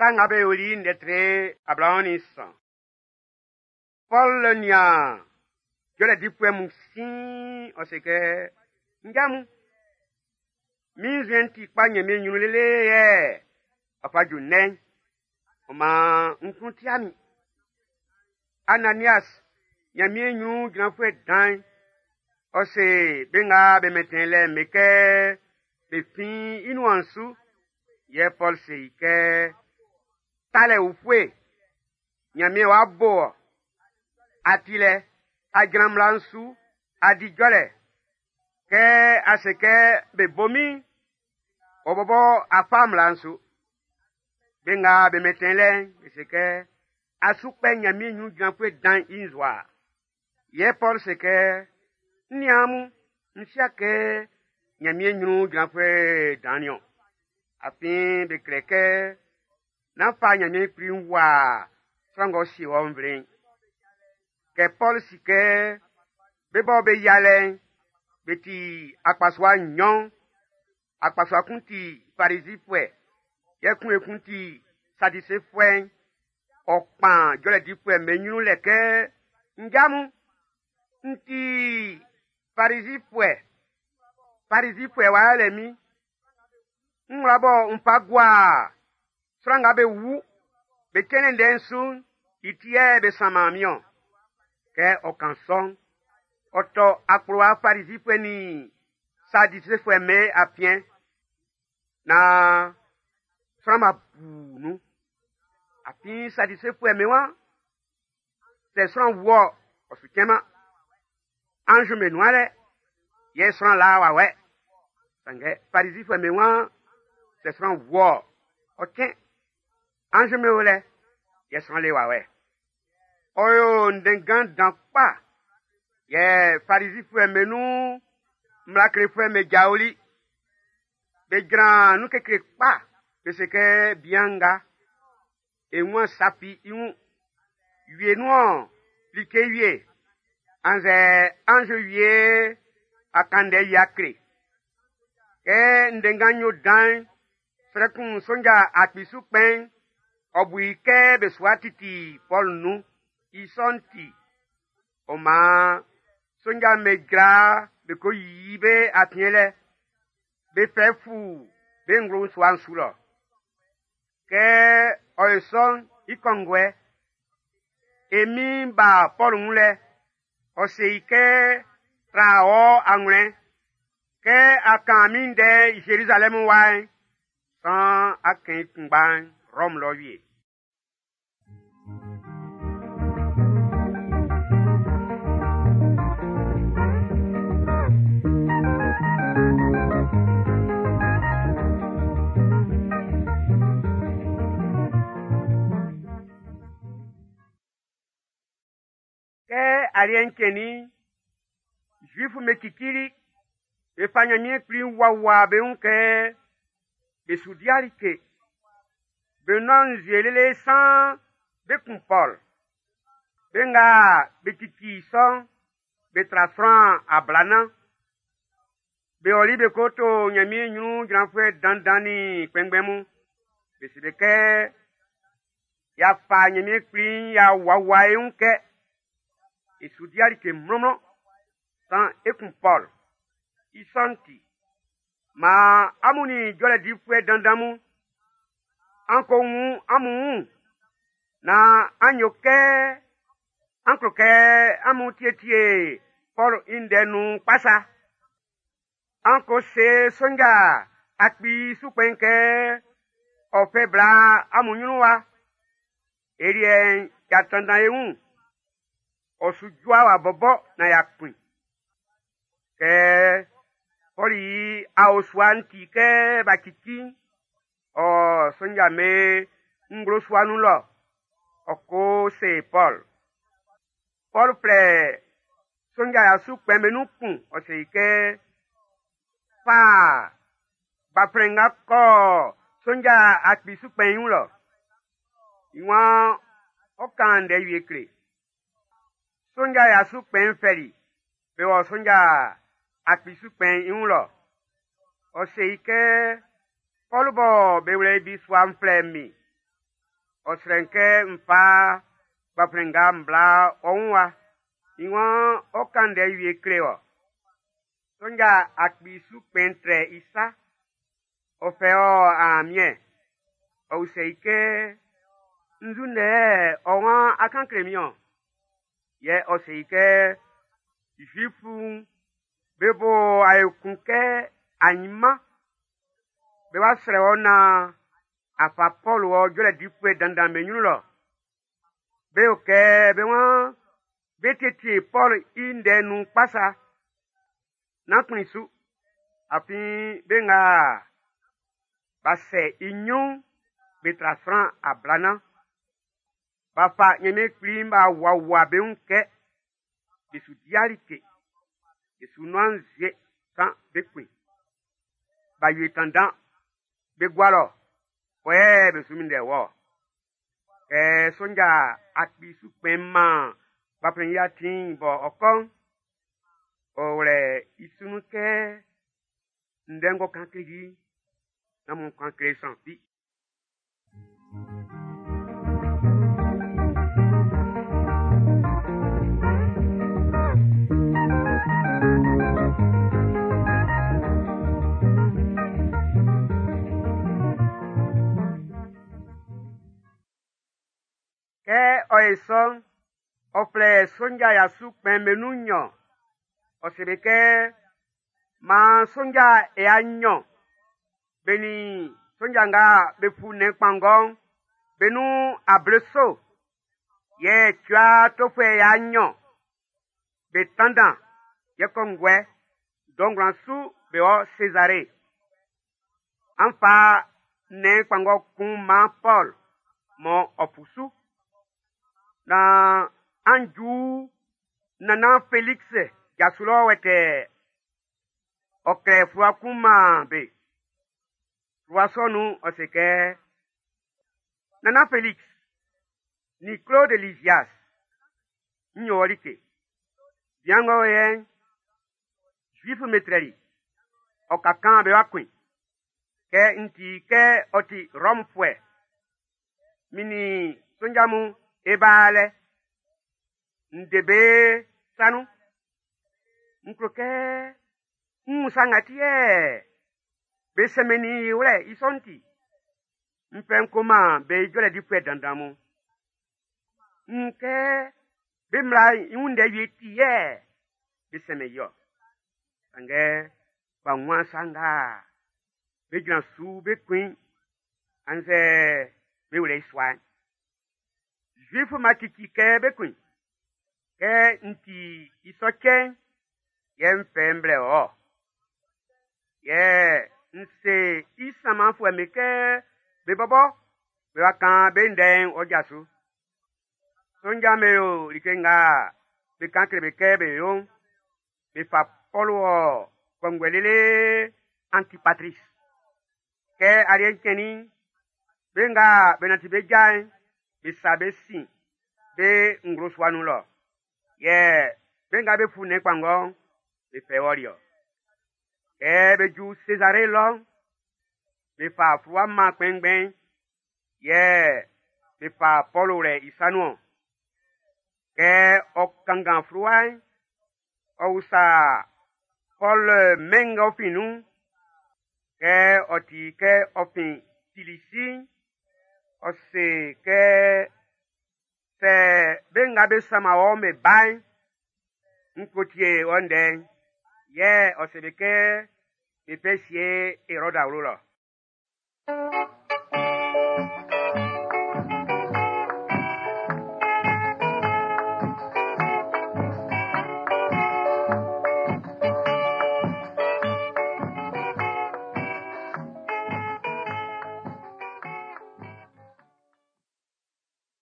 Sa Nga Be Yoli'n ndɛ tre 23. Pɔlu nian jɔlɛ difuɛ mun siin, ɔ se kɛ, Nja mun, min nzuɛn'n ti kpa Ɲanmiɛn ɲrun lele yɛ ɔ fa ju ndɛ'n. Ɔ maan n klun ti'a min. Ananias, Ɲanmiɛn ɲrun jranfuɛ dan'n, ɔ se be nga be mɛntɛn lɛ'n be kɛ be fin i nuan su. Yɛ Pɔlu se i kɛ, talɛ ufue, Ɲanmiɛn w'a bo ɔ. A ti lɛ, a jran mmla'n su, a di jɔlɛ. Kɛ a se kɛ be bo min'n, ɔ bɔbɔ a fa mmla'n su. Be nga be mɛntɛn lɛ'n, be se kɛ, a su kpɛ Ɲanmiɛn ɲrun jranfuɛ dan'n i nzowa. Yɛ Pɔlu se kɛ, n niaan mun, n sia kɛ Ɲanmiɛn ɲrun jranfuɛ dan'n niɔn. Afin be klɛ kɛ, nán fa Ɲanmiɛn Kpli wua sran ng'ɔ sie wɔ nvle'n. Kɛ Pɔlu si kɛ be bɔ be yialɛ'n, be ti akpasua nɲɔn. Akpasua kun ti Farizifuɛ, yɛ kun ekun ti Sadisefuɛ'n. Ɔ kpan jɔlɛ difuɛ'm be ɲrun lɛ kɛ, Nja mun, n ti Farizifuɛ. Farizifuɛ w'a yɛlɛ min. N wla bɔ n fa gua sran nga be wu be cɛnlɛ ndɛ'n su'n, i ti yɛ be sanman min-ɔn. Kɛ ɔ kan sɔ'n, ɔ tɔ akplowa Farizifuɛ nin Sadisefuɛ'm be afiɛn naan sran ma bu nun. Afin Sadisefuɛ'm be waan, sɛ sran wu-ɔ, ɔ su cɛnman. Anz'm be nuan lɛ, yɛ sran la wawɛ. Sanngɛ Farizifuɛ'm be waan, sɛ sran wu-ɔ, ɔ cɛn. Anz'm be o lɛ, yɛ sran le wawɛ. Ɔ yo ndɛnngan dan kpa. Yɛ Farizifuɛ'm be nun mmla klefuɛ'm be jaoli. Be jran nun kekle kpa. Be se kɛ bian nga, e wun safi i wun. Wie nun like wie, annzɛ anz wie a kan ndɛ yia kle. Kɛ ndɛnngan yo dan'n, srɛ kun sonja akpi su kpɛn'n, ɔ bu i kɛ be su wa titi Pɔlu nun. I sɔ'n ti, ɔ maan sonja'm be jra be ko yiyi be afiɛn lɛ. Be fɛ fu be nglo sua'n su lɔ. Kɛ ɔ yo sɔ'n i kɔnguɛ, e min ba Pɔlu wun lɛ, ɔ se i kɛ, tra ɔ anwlɛn. Kɛ a kan min ndɛ Zerizalɛmu wa'n, san a kɛn i kunngba'n Rɔmu lɔ wie. Kɛ aliɛ'n cɛnnin'n, Zuifu'm be cicili, be fa Ɲanmiɛn Kpli wuawua be wun kɛ be su di like. Be nɔn nzue lele san be kun Pɔl. Be nga be cici sɔ'n, be tra sran ablanan. Be ɔli be ko to Ɲanmiɛn ɲrun jranfuɛ dandan nin kpɛnngbɛn mun. Be se be kɛ, y'a fa Ɲanmiɛn Kpli'n y'a wuawua e wun kɛ e su di like mlɔnmlɔn san e kun Pɔl. I sɔ'n ti, maan amun nin jɔlɛ difuɛ dandan mun, an ko wun amun wun naan an yo kɛ an klo kɛ amun tietie Pɔlu i ndɛ nun kpa sa. An ko se sonja akpi su kpɛn'n kɛ ɔ fɛ bla amun ɲrun wa. E liɛ'n y'a tanndan e wun. Ɔ su jua wa bɔbɔ na y'a kun. Kɛ Pɔlu i aosua'n ti kɛ b'a cici'n, ɔ sonja me nglo sua nun lɔ, ɔ ko se Pɔl. Pɔl flɛ sonja ya su kpɛn be nun kun, ɔ se i kɛ, fa gbaflɛn nga kɔ sonja akpi su kpɛn i wun lɔ. I waan ɔ kan ndɛ wie kle. Sonja ya su kpɛn'n fɛli, be wɔ sonja akpi su kpɛn'n i wun lɔ. Ɔ se i kɛ, Pɔlu bɔ be wlɛ i bisua'n flɛ min. Ɔ srɛ n kɛ n fa gbanflɛn nga n bla ɔ wun wa. I waan ɔ kan ndɛ wie kle wɔ. Sonja akpi su kpɛn'n trɛ i sa. Ɔ fɛ ɔ aamiɛn. Ɔ usɛ i kɛ, nzu ndɛ ɔ waan á kán klé min-ɔn? Yɛ ɔ se i kɛ, Zuifu'm be bo w'a yo kun kɛ ainman bé wá srɛ́ wɔ naan a fa Pɔlu wɔ jɔlɛ difuɛ dandan'm be ɲrun lɔ. Be yo kɛ be waan bé tíetíe Pɔlu i ndɛ'n nun kpa sa. Nán kplin su, afin be nga b'a sɛ i ɲrun'n be tra sran ablanan. B'a fa Ɲanmiɛn Kpli'n b'a wuawua be wun kɛ be su dia like, be su nɔn nzue kan be kun. B'a yo tandan be gua lɔ, kɔyɛ be su minndɛ wɔ. Kɛ sonja akpi su kpɛn'n man gbanflɛn'n i atin bɔ ɔ kɔ'n, ɔ wlɛ i su nun kɛ ndɛ ng'ɔ kan kleli i'n, nán amun kan kle sran fi. Kɛ ɔ ye sɔ'n, ɔ flɛ sonja ya su kpɛn'm be nun nɲɔn. Ɔ se be kɛ, maan sonja ya nɲɔn be nin sonja nga be fu nnɛn kpanngɔ'n be nun ableso, yɛ cua tofuɛ ya nɲɔn be tanndan yɛ kɔnguɛ dɔ ngwlan su be wɔ Sezare. An fa nnɛn kpanngɔ kun man Pɔl mɔ ɔ fu su. Naan an ju nannan Felix ja su lɔ wɛtɛɛ. Ɔ klɛ fluwa kun man be. Fluwa sɔ'n nun'n, ɔ se kɛ, Nannan Felix, nin Claude Lysias, n yo wɔ like. Bian ng'ɔ o yɛ'n, Zuif'm be trɛli i. Ɔ ka kan be wa kun i. Kɛ n ti kɛ ɔ ti Rɔmfuɛ, min nin sonja mun e ba lɛ. N de be sa nun. N klo kɛ n wun sa nga ti yɛ be sɛnmɛnnin i wlɛ i sɔ'n ti. N fɛ n ko man be jɔlɛ difuɛ dandan mun. N wun kɛ be mmla'n i wun ndɛ wie ti yɛ be sɛnmɛn i-ɔ. Sanngɛ b'a wunman sa nga be jran su be kun i'n, annzɛ be wlɛ i sua'n. Zuif'm b'a cici kɛ be kun i. Kɛ n ti i sɔ cɛ'n, yɛ n fɛ n blɛ wɔ-ɔ. Yɛ n se i sanmanfuɛ'm be kɛ be bɔbɔ be wa kan be ndɛ'n ɔ ja su. Sonja'm be yo like nga be kan kle be kɛ be yo'n. Be fa Pɔlu wɔ kɔnguɛ lele Antipatris. Kɛ aliɛ'n cɛnnin'n, be nga be nanti be ja'n, be sa be sin be nglo sua nun lɔ. Yɛ be nga be fu nnɛn kpanngɔ'n, be fɛ wɔli-ɔ. Kɛ be ju Sezare lɔ'n, be fa fluwa man kpɛnngbɛn'n, yɛ be fa Pɔlu wlɛ i sa nun-ɔn. Kɛ ɔ kanngan fluwa'n, ɔ usa Pɔl mɛn nga ɔ fin nun'n. Kɛ ɔ ti kɛ ɔ fin Silisi'n, ɔ se kɛ sɛ be nga be sanman wɔ'n be ba'n, n ko tie wɔ ndɛ'n. Yɛ ɔ se be kɛ be fɛ sie Erɔd awlo lɔ.